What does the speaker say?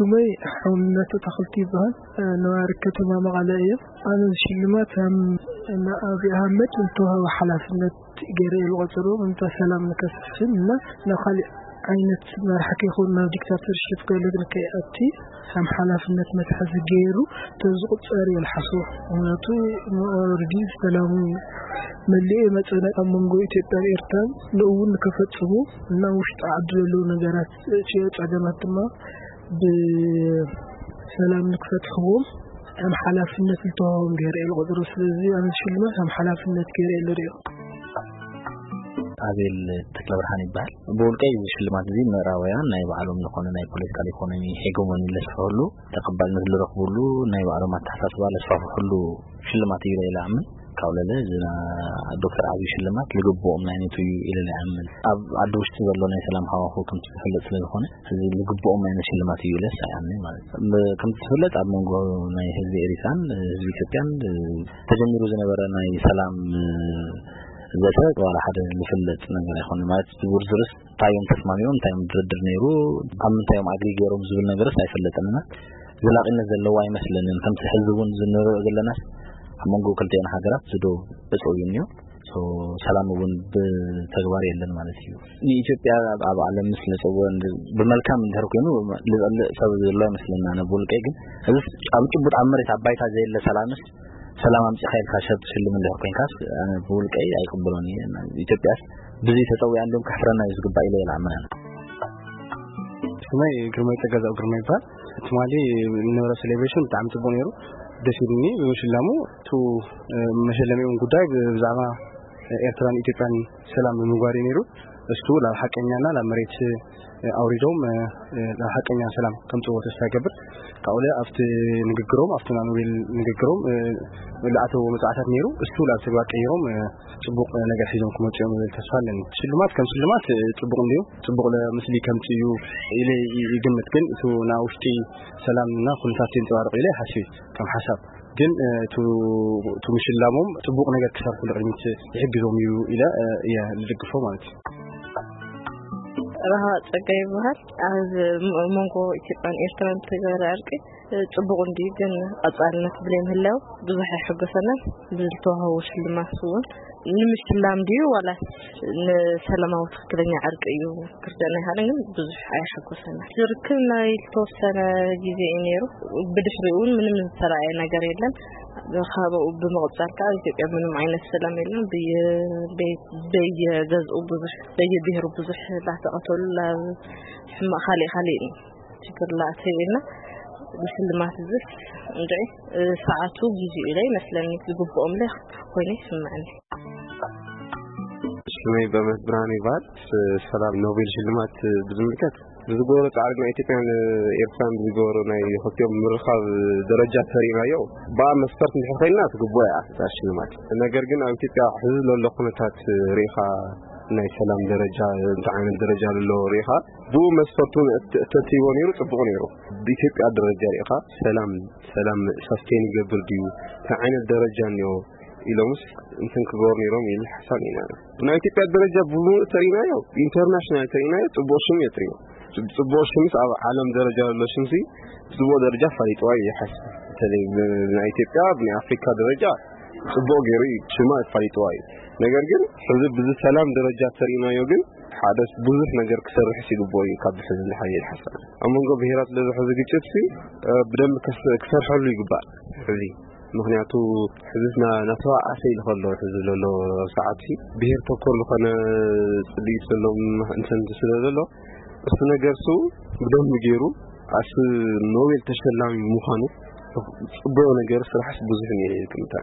ስመይ ሓውነቱ ተኽልቲ ይበሃል። ነባሪ ከተማ መቐለ እየ። ኣነ ሽልማት ከም ንኣብይ ኣህመድ ዝተዋህበ ሓላፍነት ገይረ እየ ዝቖጽሮ። እንተ ሰላም ንከስፍን እና ናብ ካሊእ ዓይነት መራሒ ከይኮን ናብ ዲክታተርሽፕ ገለ ንከይኣቲ ከም ሓላፍነት መትሓዚ ገይሩ ተዝቑጸር እየ ዝሓስቦ። ምክንያቱ ኦልሬዲ ሰላሙ መሊኡ መጸነ ኣብ መንጎ ኢትዮጵያን ኤርትራን ንእውን ንከፈጽሙ እና ውሽጢ ዓዲ ዘለዉ ነገራት እቲ ጸገማት ድማ ብሰላም ንክፈትሕዎም ከም ሓላፍነት ዝተዋህቦም ገይረ እየ ዝቆጽሮ። ስለዚ ኣነ ሽልማት ከም ሓላፍነት ገይረ እየ ዝሪኦ። ኣቤል ተክለብርሃን ይበሃል። ብውልቀይ እዚ ሽልማት እዚ ምዕራባውያን ናይ ባዕሎም ዝኾነ ናይ ፖለቲካል ኢኮኖሚ ሄጎሞኒ ለስፈህሉ ተቐባልነት ዝረኽብሉ ናይ ባዕሎም ኣተሓሳስባ ለስፋፍሕሉ ሽልማት እዩ ኢለ ይኣምን። ካብ ለለ እዚ ና-፣ ዶክተር ኣብይ ሽልማት ልግብኦም ናይ ነቱ እዩ ኢለ ይኣምን። ኣብ ዓዲ ውሽጢ ዘሎ ናይ ሰላም ሃዋሁ ከምቲ ዝፍለጥ ስለ ዝኾነ እዚ ልግብኦም ናይ ሽልማት እዩ ኢለ ኣይኣምንን ማለት እዩ። ብ-፣ ከምቲ ዝፍለጥ ኣብ መንጎ ናይ ህዝቢ ኤሪትራን ህዝቢ ኢትዮጵያን ተጀሚሩ ዝነበረ ናይ ሰላም ዘተ ዋላ ሓደ ዝፍለጥ ነገር ኣይኮነ ማለት ዝውርዝርስ እንታይ እዮም ተስማሚኦም፣ እንታይ እዮም ድርድር ነይሩ፣ ኣብ ምንታይ እዮም ኣግሪ ገይሮም ዝብል ነገርስ ኣይፈለጠንና። ዘላቒነት ዘለዎ ኣይመስለንን። ከምቲ ሕዚ እውን ዝንሪኦ ዘለናስ ኣብ መንጎ ክልቲኤን ሃገራት ዝዶ እፀው እዩ እኒኦ። ሶ ሰላም እውን ብተግባር የለን ማለት እዩ። ንኢትዮጵያ ኣብ፣ ኣብ ዓለም ምስ ለፀዎ እንድ-፣ ብመልካም እንድሕር ኮይኑ ልፀልእ ሰብ ዘሎ ኣይመስለና። ኣነ ብውልቀይ ግን እዚስ ኣብ ጭቡጥ ኣብ መሬት ኣብ ባይታ ዘየለ ሰላምስ ሰላም ኣምጺኻ ኢልካ ሰብ ትሽልም እንድሕር ኮይንካስ ኣነ ብውልቀይ ኣይቅበሎን እየ። ኢትዮጵያስ ብዙይ ተጸዊያ እንዲሁም ከሕፍረና እዩ ዝግባእ ኢለ ይልኣምን ኣነ። ስመይ ግርማይ ጸጋዛው ግርማ ይበሃል። ትማሊ ንነበረ ሴሌብሬሽን ብጣዕሚ ጽቡቕ ነይሩ፣ ደስ ኢሉኒ ብምሽላሙ። እቱ መሸለሚኦም ጉዳይ ብዛዕባ ኤርትራን ኢትዮጵያን ሰላም ንምግባር እዩ ነይሩ። እሱ ናብ ሓቀኛና ናብ መሬት ኣውሪዶም ናብ ሓቀኛ ሰላም ከምጽዎ ተስፋ ይገብር። ካብኡ ኣብቲ ንግግሮም ኣብቲ ናብ ኖቤል ንግግሮም ዝኣተዎ መጽዋዕታት ነይሩ፣ እሱ ናብ ተግባር ቀይሮም ጽቡቕ ነገር ሒዞም ክመጹ እዮም ዝብል ተስፋ ኣለኒ። ሽልማት ከም ሽልማት ጽቡቕ እንድዩ፣ ጽቡቕ ለ-፣ ምስሊ ከምጽእ እዩ ኢለ ይግምት። ግን እቱ ናብ ውሽጢ ሰላምና ኩነታት የንጸባርቕ ኢለ ይሓስብ እዩ ከም ሓሳብ። ግን እቱ እቱ ምሽላሞም ጽቡቕ ነገር ክሰርሑ ንቕድሚት ይሕግዞም እዩ ኢለ እየ ዝድግፎ ማለት እዩ። ረሃ ጸጋ ይበሃል። ኣብ መንጎ ኢትዮጵያን ኤርትራን ዝተገበረ ዕርቂ ጽቡቕ እንድዩ፣ ግን ቀጻልነት ብለይ ምህላው ብዙሕ ኣይሕጎሰናን። ብዝተዋህቦ ሽልማት እውን ንምሽላም ድዩ ዋላስ ንሰላማዊ ትኽክለኛ ዕርቂ እዩ ክርደና ይሃለ፣ ግን ብዙሕ ኣይሓጎሰናን። ዝርክብ ናይ ዝተወሰነ ግዜ እዩ ነይሩ። ብድሕሪኡ እውን ምንም ዝተረኣየ ነገር የለን። ካብኡ ብምቕጻል ከዓ ኣብ ኢትዮጵያ ምንም ዓይነት ሰላም የለን። ብየ-፣ በየ-፣ በየገዝኡ ብዙሕ፣ በየብሔሩ ብዙሕ ላተቐተሉ፣ ላ-፣ ሕማቕ ካልእ ካልእ እዩ። ችግር ላእተይልና ብሽልማት እዝስ እንድዒ ሰዓቱ ጊዜኡ ኢለ ይመስለኒ፣ ዝግብኦም ለ ኮይኑ ይስምዐኒ። ስመይ በእምነት ብርሃን ይበሃል። ሰላም ኖቤል ሽልማት ብዝምልከት ብዝገበሮ ጻዕሪ ናይ ኢትዮጵያን ኤርትራን ብዝገበሮ ናይ ክልቲኦም ምርኻብ ደረጃ ተሪእናዮ። ብኣ መስፈርት እንድሕር ኮይንና ትግብኦ እያ እታ ሽልማት። ነገር ግን ኣብ ኢትዮጵያ ሕዚ ዘሎ ኩነታት ርኢኻ ናይ ሰላም ደረጃ እንታይ ዓይነት ደረጃ ዘሎ ርኢኻ ብኡ መስፈርቱ እተ-፣ እተትይዎ ነይሩ ጽቡቕ ነይሩ። ብኢትዮጵያ ደረጃ ርኢኻ ሰላም፣ ሰላም ሳስቴን ይገብር ድዩ? እንታይ ዓይነት ደረጃ እኒኦ ኢሎምስ እንትን ክገብሩ ነይሮም ኢል ሓሳብ ኢና። ብናይ ኢትዮጵያ ደረጃ ብሙሉእ ተሪእናዮ፣ ኢንተርናሽናል ተሪእናዮ ጽቡቕ ሽም እዮ ትሪኦ። ጽቡቕ ሽምስ ኣብ ዓለም ደረጃ ዘሎ ሽምሲ ብጽቡቕ ደረጃ ኣፋሊጥዋ እዩ ይሓስብ። በተለይ ብ-፣ ብናይ ኢትዮጵያ ብናይ ኣፍሪካ ደረጃ ጽቡቕ ገይሩ እዩ ሽማ ኣፋሊጥዋ እዩ። ነገር ግን ሕዚ ብዚ ሰላም ደረጃ ተሪእናዮ ግን ሓደ ብዙሕ ነገር ክሰርሕ ይግብኦ እዩ ካብ ሕዚ ንሓይል ሓሳብ። ኣብ መንጎ ብሄራት ለዝሐ ዝግጭት ሲ፣ እ፣ ብደንብ ከስ-፣ ክሰርሐሉ ይግባእ ሕዚ። ምኽንያቱ ሕዚ ና-፣ ናተባኣሰ ኢሉ ከሎ ሕዚ ዘሎ ሰዓት ሲ ብሄር ተኮር ዝኾነ ጽልኢት ዘሎ ም-፣ እንትን ስለ ዘሎ እሱ ነገር ሱ ብደንብ ገይሩ ኣስ ኖቤል ተሸላሚ ምዃኑ ጽቡቕ ነገር ስራሕስ ብዙሕ እየ ዝግምታ።